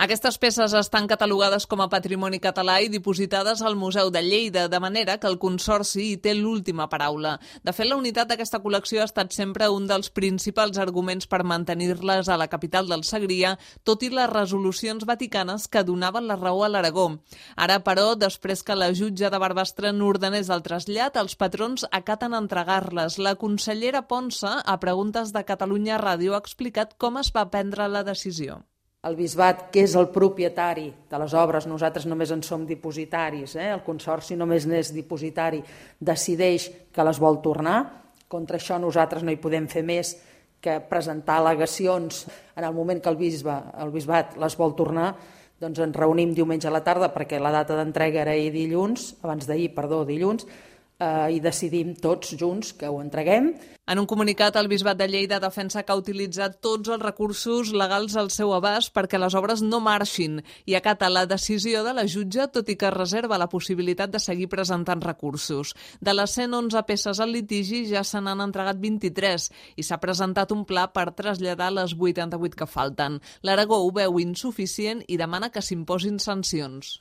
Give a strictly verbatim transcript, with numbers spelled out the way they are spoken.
Aquestes peces estan catalogades com a patrimoni català i dipositades al Museu de Lleida, de manera que el Consorci hi té l'última paraula. De fet, la unitat d'aquesta col·lecció ha estat sempre un dels principals arguments per mantenir-les a la capital del Segrià, tot i les resolucions vaticanes que donaven la raó a l'Aragó. Ara, però, després que la jutge de Barbastre n'ordenés el trasllat, els patrons acaten entregar-les. La consellera Ponsa, a Preguntes de Catalunya Ràdio, ha explicat com es va prendre la decisió. El bisbat, que és el propietari de les obres, nosaltres només en som dipositaris, eh? El Consorci només n'és dipositari, decideix que les vol tornar. Contra això nosaltres no hi podem fer més que presentar al·legacions. En el moment que el, bisbe, el bisbat les vol tornar, doncs ens reunim diumenge a la tarda, perquè la data d'entrega era ahir dilluns, abans d'ahir, perdó, dilluns, eh, i decidim tots junts que ho entreguem. En un comunicat, el Bisbat de Lleida defensa que ha utilitzat tots els recursos legals al seu abast perquè les obres no marxin i acata la decisió de la jutge, tot i que reserva la possibilitat de seguir presentant recursos. De les cent onze peces al litigi ja se n'han entregat vint-i-tres i s'ha presentat un pla per traslladar les vuitanta-vuit que falten. L'Aragó ho veu insuficient i demana que s'imposin sancions.